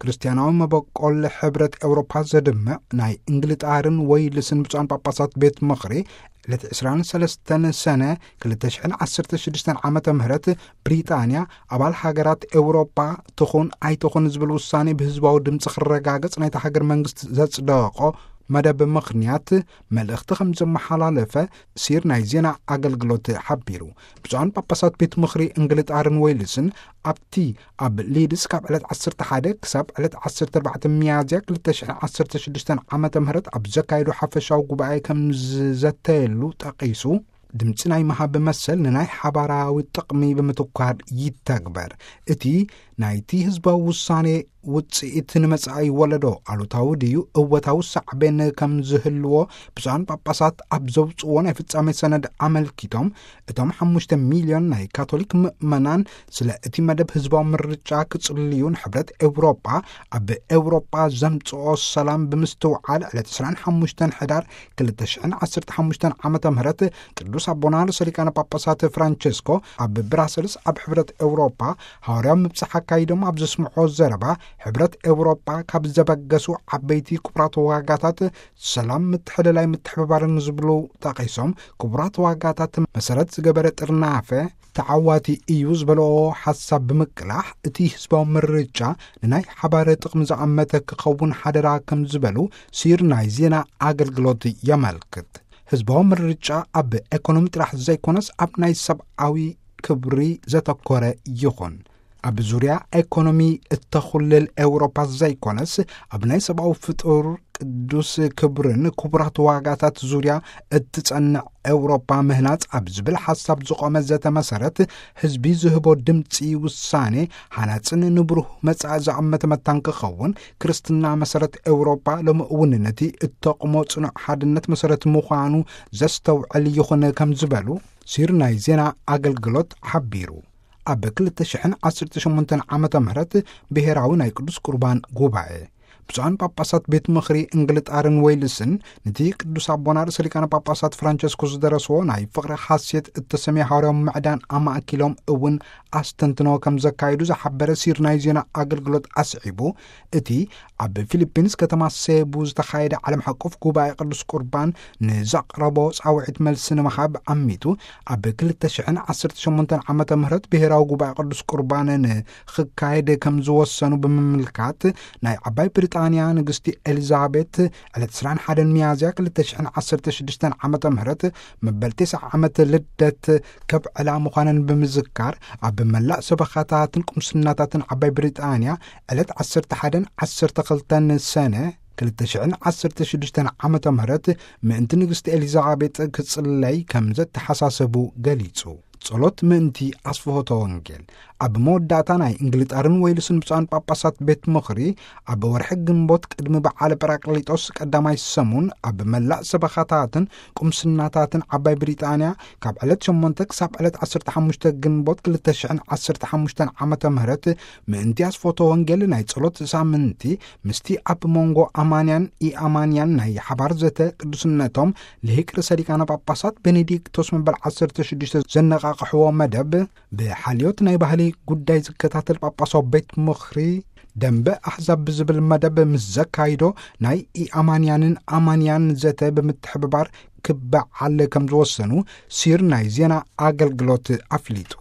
ክርስትያናዊ መበቆል ሕብረት ኤውሮፓ ዘድምዕ ናይ እንግልጣርን ወይልስን ብፁዓን ጳጳሳት ቤት ምኽሪ፣ ዕለት ዕስራን ሰለስተን ሰነ ክልተ ሽሕን ዓሰርተ ሽዱሽተን ዓመተ ምህረት፣ ብሪጣንያ ኣባል ሃገራት ኤውሮጳ ትኹን ኣይትኹን ዝብል ውሳኔ ብህዝባዊ ድምፂ ክረጋገጽ ናይታ ሃገር መንግስቲ ዘጽደቖ መደብ ምኽንያት መልእኽቲ ከም ዘመሓላለፈ ሲር ናይ ዜና ኣገልግሎት ሓቢሩ። ብፁዓን ጳጳሳት ቤት ምኽሪ እንግልጣርን ወይልስን ኣብቲ ኣብ ሊድስ ካብ ዕለት ዓሰርተ ሓደ ክሳብ ዕለት ዓሰርተ ኣርባዕተ ሚያዝያ ክልተ ሽሕን ዓሰርተ ሽዱሽተን ዓመተ ምህረት ኣብ ዘካየዱ ሓፈሻዊ ጉባኤ ከም ዝዘተየሉ ጠቒሱ፣ ድምፂ ናይ ምሃብ መሰል ንናይ ሓባራዊ ጥቕሚ ብምትኳር ይተግበር። እቲ ናይቲ ህዝባዊ ውሳኔ ውፅኢት ንመጻኢ ወለዶ ኣሉታዊ ድዩ እወታዊ ሳዕቤን ከም ዝህልዎ ብፁዓን ጳጳሳት ኣብ ዘውፅዎ ናይ ፍጻሜ ሰነድ ኣመልኪቶም፣ እቶም ሓሙሽተ ሚልዮን ናይ ካቶሊክ ምእመናን ስለ እቲ መደብ ህዝባዊ ምርጫ ክጽልዩ ንሕብረት ኤውሮጳ ኣብ ኤውሮጳ ዘምጽኦ ሰላም ብምስትውዓል ዕለት ዕስራን ሓሙሽተን ሕዳር ክልተ ሽሕን ዓሰርተ ሓሙሽተን ዓመተ ምህረት ቅዱስ ኣቦና ርእሰ ሊቃነ ጳጳሳት ፍራንቸስኮ ኣብ ብራሰልስ ኣብ ሕብረት ኤውሮጳ ሃዋርያዊ ምብጻሕ ኣካይዶም ኣብ ዘስምዖ ዘረባ፣ ሕብረት ኤውሮጳ ካብ ዘበገሱ ዓበይቲ ክቡራት ዋጋታት ሰላም፣ ምትሕልላይ፣ ምትሕብባርን ዝብሉ ጠቒሶም፣ ክቡራት ዋጋታት መሰረት ዝገበረ ጥርናፈ ተዓዋቲ እዩ ዝበለኦ ሓሳብ ብምቅላሕ፣ እቲ ህዝባዊ ምርጫ ንናይ ሓባር ጥቕሚ ዝኣመተ ክኸውን ሓደራ ከም ዝበሉ ሲር ናይ ዜና ኣገልግሎት የመልክት። ህዝባዊ ምርጫ ኣብ ኤኮኖሚ ጥራሕ ዘይኮነስ ኣብ ናይ ሰብኣዊ ክብሪ ዘተኮረ ይኹን። ኣብ ዙርያ ኤኮኖሚ እተኹልል ኤውሮፓ ዘይኮነስ ኣብ ናይ ሰብኣዊ ፍጡር ቅዱስ ክብርን ክቡራት ዋጋታት ዙርያ እትጸንዕ ኤውሮፓ ምህናጽ ኣብ ዝብል ሓሳብ ዝቖመ ዘተ መሰረት ህዝቢ ዝህቦ ድምፂ ውሳኔ ሃናጽን ንብሩህ መጻኢ ዝኣመተ መታን ክኸውን ክርስትና መሰረት ኤውሮፓ ሎሚ እውን ነቲ እተቕሞ ጽኑዕ ሓድነት መሰረት ምዃኑ ዘስተውዕል ይኹን ከም ዝበሉ ሲር ናይ ዜና ኣገልግሎት ሓቢሩ። ኣብ ክልተ ሽሕን ዓሰርተ ሸሞንተን ዓመተ ምህረት ብሄራዊ ናይ ቅዱስ ቁርባን ጉባኤ ብፁዓን ጳጳሳት ቤት ምኽሪ እንግልጣርን ወይልስን ነቲ ቅዱስ ኣቦና ርእሰ ሊቃነ ጳጳሳት ፍራንቸስኮ ዝደረስዎ ናይ ፍቕሪ ሓሴት እተሰምየ ሃዋርያዊ ምዕዳን ኣማእኪሎም እውን ኣስተንትኖ ከም ዘካየዱ ዝሓበረ ሲር ናይ ዜና ኣገልግሎት ኣስዒቡ፣ እቲ ኣብ ፊሊፒንስ ከተማ ሴቡ ዝተኻየደ ዓለም ሓቆፍ ጉባኤ ቅዱስ ቁርባን ንዘቕረቦ ጻውዒት መልሲ ንምሃብ ዓሚቱ፣ ኣብ ክልተ ሽሕን ዓሰርተ ሸሞንተን ዓመተ ምህረት ብሄራዊ ጉባኤ ቅዱስ ቁርባን ንኽካየድ ከም ዝወሰኑ ብምምልካት፣ ናይ ዓባይ ብሪጣንያ ንግስቲ ኤሊዛቤት ዕለት ዕስራን ሓደን ሚያዝያ ክልተ ሽሕን ዓሰርተ ሽዱሽተን ዓመተ ምህረት መበል ተስዓ ዓመት ልደት ከብዕላ ምዃነን ብምዝካር፣ ኣብ መላእ ሰበኻታትን ቁምስናታትን ዓባይ ብሪጣንያ ዕለት ዓሰርተ ሓደን ዓሰርተ ክልተን ሰነ ክልተ ሽሕን ዓሰርተ ሽዱሽተን ዓመተ ምህረት ምእንቲ ንግስቲ ኤሊዛቤጥ ክጽለይ ከም ዘተሓሳሰቡ ገሊጹ። ጸሎት ምእንቲ ኣስፍሆተ ወንጌል። ኣብ መወዳእታ ናይ እንግሊጣርን ወይልስን ብፁዓን ጳጳሳት ቤት ምኽሪ ኣብ ወርሒ ግንቦት ቅድሚ በዓለ ጳራቅሊጦስ ቀዳማይ ሰሙን ኣብ መላእ ሰበኻታትን ቁምስናታትን ዓባይ ብሪጣንያ ካብ ዕለት ሸሞንተ ክሳብ ዕለት ዓሰርተ ሓሙሽተ ግንቦት ክልተ ሽሕን ዓሰርተ ሓሙሽተን ዓመተ ምህረት ምእንቲ ኣስፍሆተ ወንጌል ናይ ጸሎት ሳምንቲ ምስቲ ኣብ መንጎ ኣማንያን ኢኣማንያን ናይ ሓባር ዘተ ቅዱስነቶም ልሂቅ ርእሰ ሊቃነ ጳጳሳት ቤኔዲክቶስ መበል ዓሰርተ ሽዱሽተ ዘነቓቕሕዎ መደብ ብሓልዮት ናይ ባህሊ ጉዳይ ዝከታተል ጳጳሳዊ ቤት ምኽሪ ደንበ ኣሕዛብ ብዝብል መደብ ምስ ዘካይዶ ናይ ኢኣማንያንን ኣማንያን ዘተ ብምትሕብባር ክበዓል ከም ዝወሰኑ ሲር ናይ ዜና ኣገልግሎት ኣፍሊጡ።